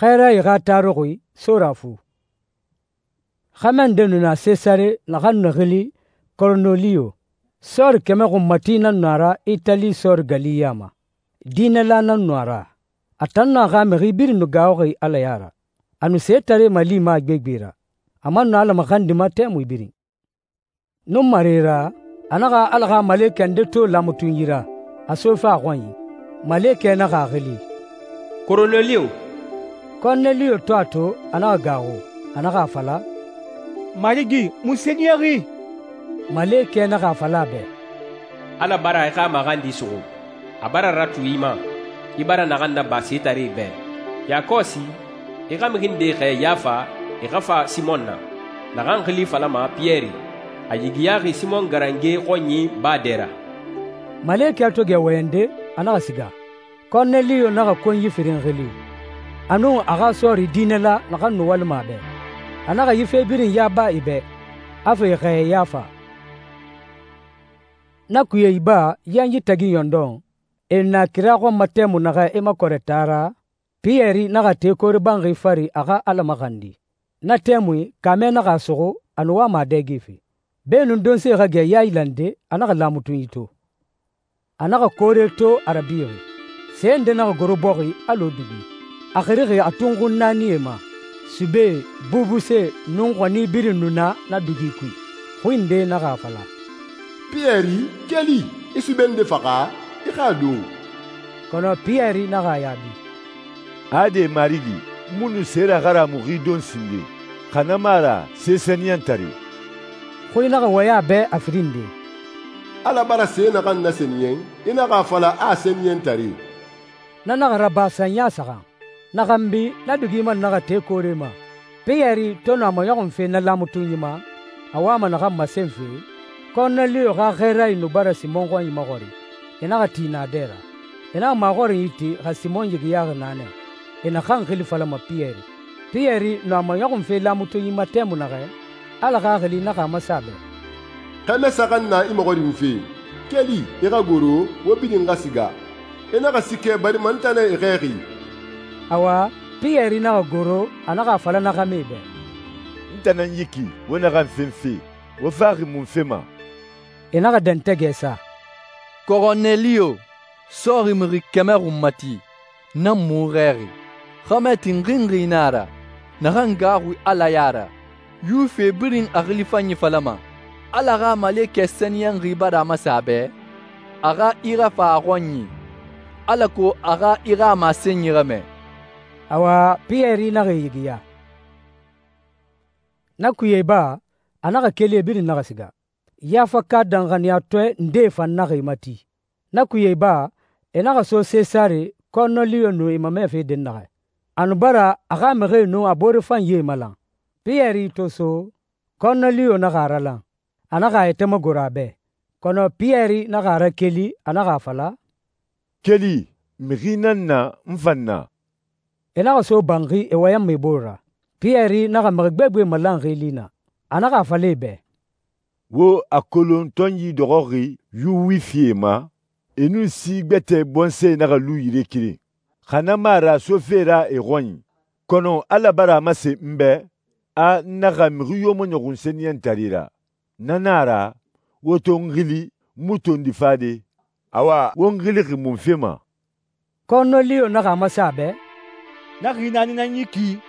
Xɛɛrayi xa taruxui Sorafu. Xɛmɛ nde nu na Sesare naxan nu xili Koroneliyo. Sɔɔri kɛmɛ xunmati nan nu a ra Itali sɔɔri gali ya ma. Diinɛla nan nu a ra. A tan nun a xa mixi birin nu gaaxuxi Ala ya ra. A nu setaree malima a gbegbe ra. A man nu Ala maxandima tɛmui birin. Nunmare ra, a naxa Ala xa malekɛ nde to laamatunyi ra, a sofe a xɔnyi. Malekɛ naxa a xili, «Koroneliyo.» Koroneliyo to a to, a naxa gaaxu. A naxa a fala, «Marigi, mun sɛniyɛnxi?» Malekɛ naxa a fala a bɛ, «Ala bara i xa maxandi suxu. A bara ratu i ma, i bara naxan naba setaree bɛ. Yakɔsi, i xa mixi nde xɛɛ Yafa, i xa fa Simɔn na, naxan xili falama Piyɛri. A yigiyaxi Simɔn garange xɔnyi baa dɛ ra.» Malekɛ to gɛ wɔyɛnde, a naxa siga. Koroneliyo naxa konyi firin xili, a nun a xa sɔɔri diinɛla naxan nu walima a bɛ. A naxa yi fe birin yaba e bɛ, a fa e xɛɛ Yafa. Na kuye iba yanyi tagi ɲɔndɔn, e na kira xɔn ma tɛmui naxɛ e makɔrɛ taa ra, Piyɛri naxa te koore banxi fari a xa Ala maxandi. Na tɛmui kaamɛ naxa a suxu, a nu wama a dɛgefe. Beenun donse xa gɛ yailande, a naxa laamutunyi to. A naxa koore to a rabixi. Se nde naxa goro bɔxi alɔ dugi. A xirixi a tunxun naanie ma. Sube, bubuse, nun xɔni birin nu na dugi kui. Xui nde naxa a fala, «Piyɛri, keli, i sube nde faxa, i xa a don.» Kɔnɔ Piyɛri naxa a yaabi, «Ade Marigi, mu nu sera xara muxi don sinde, xa na mu a ra se sɛniyɛntare.» Xui naxa wɔyɛn a bɛ a firin nde. Ala bara se naxan nasɛniyɛn, i naxa a fala a sɛniyɛntare. Na naxa raba sanya saxan. Na xanbi na dugi man naxa te koore ma. Piyɛri to nu a maɲɔxunfe na laamutunyi ma, a wama naxan masenfe, Koroneliyo xa xɛɛrayi nu bara Simɔn xɔnyi maxɔri. E naxa ti naadɛ ra. E naxa maxɔrinyi ti xa Simɔn yigiyaxi naanɛ. E naxan xili falama Piyɛri. Piyɛri nu a maɲɔxunfe laamutunyi ma tɛmui naxɛ, Ala Xaxili naxa a masa a bɛ, «Xɛmɛ saxan na i maxɔrinfe, keli, i xa goro, wo birin xa siga. I naxa sikɛ barima n tan nɛ i xɛɛxi.» Awa, Piyɛri naxa goro, a naxa a fala na xɛmɛ bɛ, «N tan nan yi ki, wo naxan fenfe, wo faxi munfe ma?» E naxa dɛntɛgɛ sa, «Koroneliyo, sɔɔri mixi kɛmɛ xunmati, nan mu xɛɛxi. Xɛmɛ tinxinxi na a ra, naxan gaaxui Ala ya ra. Yuwife birin a xili fanyi falama. Ala xa malekɛ sɛniyɛnxi bara a masa a bɛ, a xa i xa fa a xɔnyi, alako a xa i xa a masenyi xɛmɛ.» Awa, Piyɛri naxa e yigiya. Na kuye ba, a naxa keli e birin naxa siga. Yafaka danxaniyatɔɛ ndee fan naxa e mati. Na kuye ba, e naxa so Sesare, Koroneliyo nu e mamɛfe dɛnnaxɛ. A nu bara a xa mixie nun a boore fanyie malan. Piyɛri to so, Koroneliyo naxa a ralan. A naxa a yɛtɛ magoro a bɛ. Kɔnɔ Piyɛri naxa a rakeli, a naxa a fala, «Keli, mixi nan na n fan na.» E naxa so banxi e wɔyɛnma e bore ra. Piyɛri naxa mixi gbegbe malanxi li na. A naxa a fala e bɛ, «Wo a kolon tɔnyi dɔxɔxi Yuwifie ma, e nun si gbɛtɛ bɔnsɔɛ naxa lu yire keren. Xa na mu a ra sofe ra e xɔnyi. Kɔnɔ Ala bara a masen n bɛ, a n naxa mixi yo maɲɔxun sɛniyɛntare ra. Na nan a ra, wo to n xili, n mu tondi fade. Awa, wo n xilixi munfe ma?» Koroneliyo naxa a masa a bɛ, «Na xi naani nan yi ki,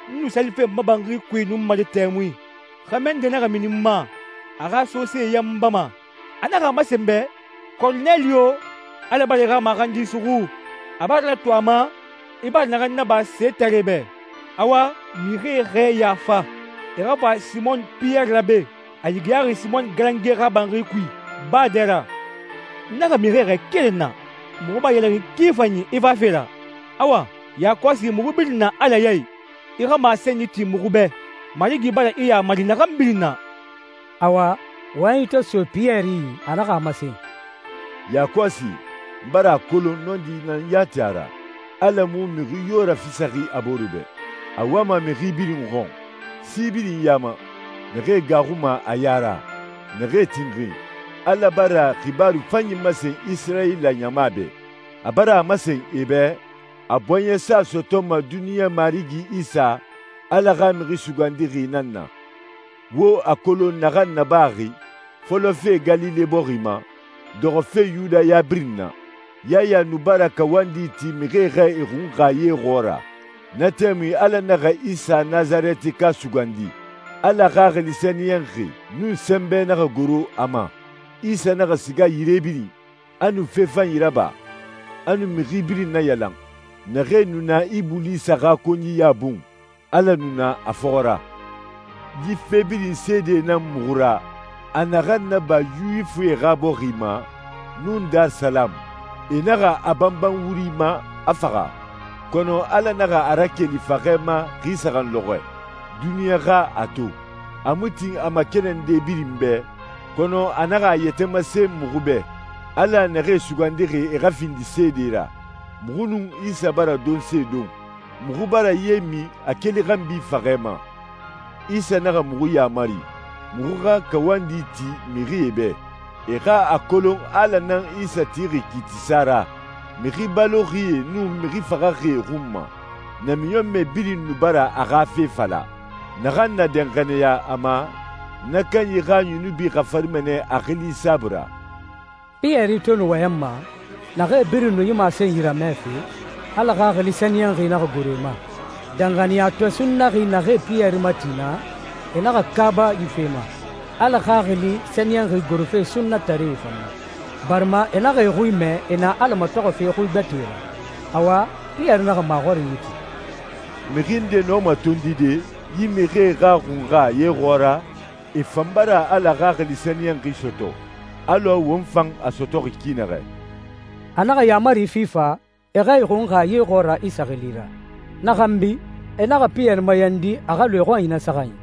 n nu salife n ma banxi kui nun mali tɛmui. Xɛmɛ nde naxa mini n ma, a xa sose yan n bama. A naxa a masen n bɛ, Koroneliyo, Ala bara i xa maxandi suxu. A bara ratu a ma, i bara naxan naba setaree bɛ. Awa, mixie xɛɛ Yafa, i xa fa Simɔn Piyɛri rabe. A yigiyaxi Simɔn garange xa banxi kui baa dɛ ra. N naxa mixie xɛɛ keren na, muxu ba yɛlɛxin ki fanyi i fafe ra. Awa, yakɔsi muxu birin na Ala ya i, i xa masenyi ti muxu bɛ. Marigi bara i yamari naxan birin na.» Awa, wɔyɛnyi to so Piyɛri, a naxa a masen, «Yakɔsi, n bara a kolon nɔndi nan yati a ra. Ala mu mixi yo rafisaxi a bore bɛ. A wama mixi birin xɔn, si birin yama, naxee gaaxuma a ya ra, naxee tinxin. Ala bara xibaru fanyi masen Isirayila ɲama bɛ. A bara a masen e bɛ, a bɔɲɛsa sɔtɔma duniɲa Marigi Isa, Ala xa Mixi Sugandixi nan na. Wo a kolon naxan nabaxi fɔlɔfe Galile bɔxi ma, dɔxɔfe Yudaya birin na. Yaya nu bara kawandi ti mixie xa e xunxa ye xɔɔra. Na tɛmui Ala naxa Isa Nazarɛtika sugandi. Ala Xaxili Sɛniyɛnxi nun sɛnbɛ naxa goro a ma. Isa naxa siga yire birin, a nu fe fanyi raba, a nu mixi birin nayalan. Naxee nu na Ibulisa xa konyiya bun, Ala nu na a fɔxɔ ra. Yi fe birin seede nan muxu ra, a naxan naba Yuwifie xa bɔxi ma, nun Darisalamu. E naxa a banban wuri ma a faxa, kɔnɔ Ala naxa a rakeli faxɛ ma xi saxan lɔxɔɛ. Duniɲa xa a to. A mu tin a makɛnɛnde birin bɛ, kɔnɔ a naxa a yɛtɛ masen muxu bɛ, Ala naxee sugandixi e xa findi seede ra. Muxu nun Isa bara donse don. Muxu bara ye min a keli xanbi faxɛ ma. Isa naxa muxu yamari, muxu xa kawandi ti mixie bɛ. E xa a kolon Ala nan Isa tixi kiitisa ra, mixi baloxie nun mixi faxaxie xun ma. Namiɲɔnmɛ birin nu bara a xa fe fala. Naxan na danxaniya a ma, na kanyi xa yunubi xafarima nɛ a xili saabui ra. Piyɛri to nu wɔyɛnma, naxee birin nu yi masen yiramɛ fe, Ala Xaxili Sɛniyɛnxi naxa goro e ma. Danxaniyatɔ sunnaxi naxee Piyɛri mati na, e naxa kaaba yi fe ma. Ala Xaxili Sɛniyɛnxi gorofe sunnataree fan na, barima e naxa e xui mɛ e na Ala matɔxɔfe xui gbɛtɛe ra. Awa, Piyɛri naxa maxɔrin yi ti. Mixi nde nɔma tondide yi mixie xa xunxa ye xɔɔra, e fan bara Ala Xaxili Sɛniyɛnxi sɔtɔ, alɔ won fan a sɔtɔxi ki naxɛ. A naxa yamari fifa e xa e xunxa ye xɔɔra Isa xili ra. Na xanbi, e naxa Piyɛri mayandi a xa lu e xɔnyi na saxan yi.